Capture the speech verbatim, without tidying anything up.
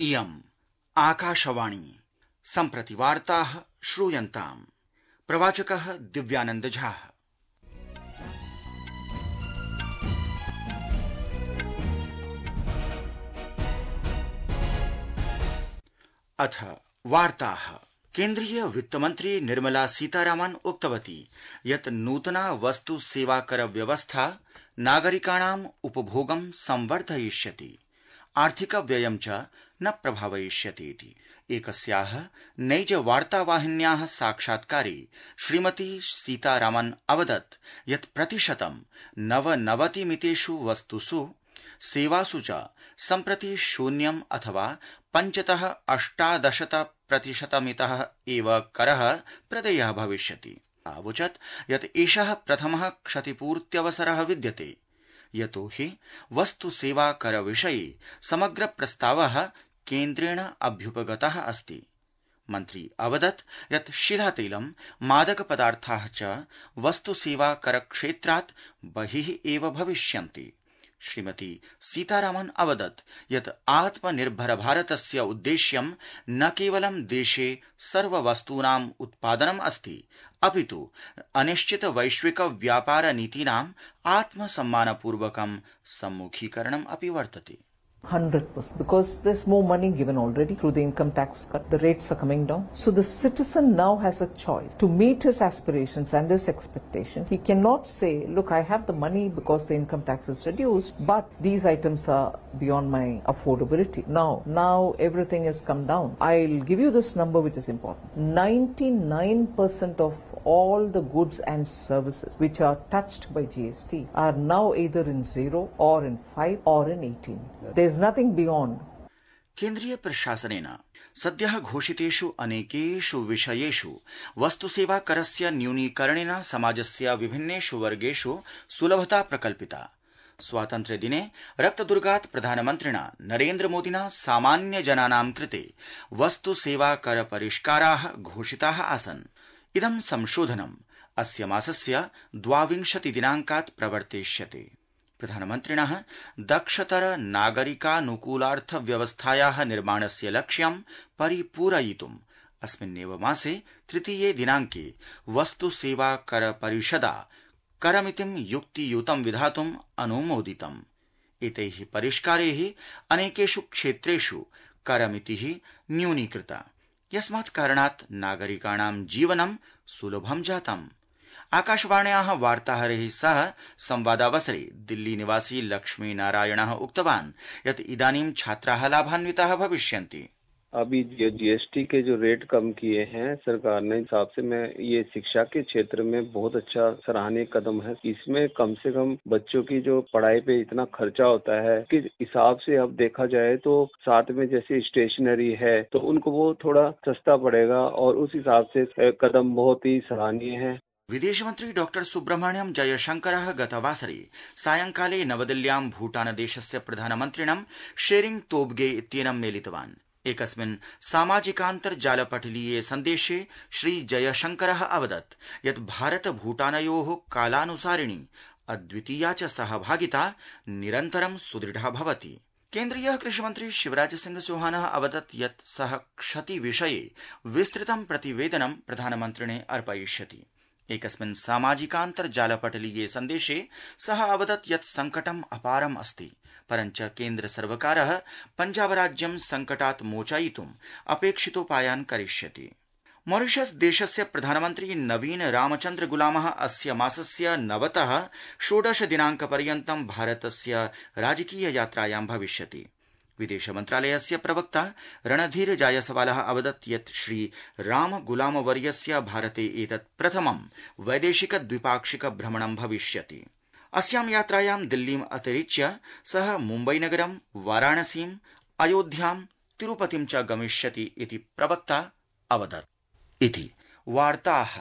इयम् आकाशवाणी सम्प्रति वार्ताः श्रूयन्ताम्। प्रवाचकः दिव्यानंद झा। अथ वार्ताः। केन्द्रीय वित्तमन्त्री निर्मला सीतारामन् उक्तवती यत् नूतना वस्तु सेवाकर व्यवस्था नागरिकाणाम् उपभोगं संवर्धयिष्यति, आर्थिक व्ययं च न प्रभावयिष्यति इति एकस्याः नैज वार्तावाहिन्याः साक्षात्कारे श्रीमती सीतारामन् अवदत् यत् प्रतिशतं नवनवतिमितेषु वस्तुषु सेवासु च सम्प्रति शून्यम् अथवा पञ्चतः अष्टादशत प्रतिशतमितः एव करः प्रदेयः भविष्यति। आवोचत् यत् एषः प्रथमः क्षतिपूर्त्यवसरः विद्यते, यतो हि वस्तु सेवा कर विषये समग्र प्रस्तावः केन्द्रेण अभ्युपगतः अस्ति। मन्त्री अवदत् यत् शिलातैलं, मादक पदार्थाः च वस्तु सेवा कर क्षेत्रात् बहिः एव भविष्यन्ति। श्रीमती सीतारामन् अवदत् यत् आत्मनिर्भर भारतस्य उद्देश्यं न केवलं देशे सर्ववस्तूनाम् उत्पादनम् अस्ति, अपितु अनिश्चित वैश्विक व्यापार नीतीनाम् आत्मसम्मानपूर्वकं सम्मुखीकरणम् अपि वर्तते। one hundred percent because there's more money given already through the income tax cut. The rates are coming down. So the citizen now has a choice to meet his aspirations and his expectations. He cannot say, look, I have the money because the income tax is reduced, but these items are beyond my affordability. Now, now everything has come down. I'll give you this number which is important. ninety-nine percent of all the goods and services which are touched by G S T are now either in zero or in five or in eighteen. There's nothing beyond. केन्द्रीय प्रशासनेन सद्यः घोषितेषु अनेकेषु विषयेषु वस्तुसेवा करस्य न्यूनीकरणेन समाजस्य विभिन्नेषु वर्गेषु सुलभता प्रकल्पिता। स्वातन्त्र्य दिने रक्तदुर्गात् प्रधानमन्त्रिणा नरेन्द्र मोदिना सामान्य जनानां कृते वस्तुसेवा कर परिष्काराः घोषिताः आसन्। इदं संशोधनम् अस्य मासस्य द्वाविंशति दिनाङ्कात् प्रवर्तिष्यते। प्रधानमन्त्रिणः दक्षतर नागरिकानुकूलार्थ व्यवस्थायाः निर्माणस्य लक्ष्यं परिपूरयितुम् अस्मिन्नेव मासे तृतीये दिनाङ्के वस्तु सेवा कर परिषदा करमितिं युक्तियुतं विधातुम् अनुमोदितम्। एतैः परिष्कारैः अनेकेषु क्षेत्रेषु करमितिः न्यूनीकृता, यस्मात् कारणात् नागरिकाणां जीवनं सुलभं जातम्। आकाशवाण्याः वार्ताहरैः सह संवादावसरे दिल्ली निवासी लक्ष्मी नारायणः उक्तवान् यत् इदानीं छात्राः लाभान्विताः भविष्यन्ति। अभी जो जीएसटी के जो रेट कम किए हैं सरकार ने, हिसाब से मैं ये शिक्षा के क्षेत्र में बहुत अच्छा सराहनीय कदम है। इसमें कम से कम बच्चों की जो पढ़ाई पे इतना खर्चा होता है कि हिसाब से अब देखा जाए तो साथ में जैसे स्टेशनरी है तो उनको वो थोड़ा सस्ता पड़ेगा और उस हिसाब से कदम बहुत ही सराहनीय है। विदेशमन्त्री डॉक्टर सुब्रह्मण्यम जयशंकरः गतवासरे सायंकाले नवदिल्ल्यां भूटानदेशस्य प्रधानमन्त्रिणं शेरिंग तोब्गे इत्येनं मेलितवान्। एकस्मिन् सामाजिकान्तर्जालपटलीये सन्देशे श्री जयशंकरः अवदत् यत् भारत भूटानयोः कालानुसारिणी अद्वितीया च सहभागिता निरन्तरं सुदृढा भवति। केन्द्रीय कृषिमन्त्री शिवराज सिंह चौहानः अवदत् यत् सः क्षति विषये विस्तृतं प्रतिवेदनं प्रधानमन्त्रिणे अर्पयिष्यति। एकस्मिन् सामाजिकान्तर्जालपटलीये सन्देशे सः अवदत् यत् संकटम् अपारम् अस्ति, परञ्च केन्द्र सर्वकारः पञ्जाबराज्यं संकटात् मोचयितुम् अपेक्षितोपायान् करिष्यति। मॉरिशस देशस्य प्रधानमन्त्री नवीन रामचन्द्र गुलामः अस्य मासस्य नवतः षोडश दिनाङ्कपर्यन्तं भारतस्य राजकीय यात्रायां भविष्यति। विदेश मन्त्रालयस्य प्रवक्ता रणधीर जायसवालः अवदत् यत् श्री राम गुलाम वर्यस्य भारते एतत् प्रथमं वैदेशिक द्विपाक्षिक भ्रमणं भविष्यति। अस्यां यात्रायां दिल्लीम् अतिरिच्य सः मुम्बईनगरं, वाराणसीम्, अयोध्यां, तिरुपतिं च गमिष्यति इति प्रवक्ता अवदत्। इति वार्ताः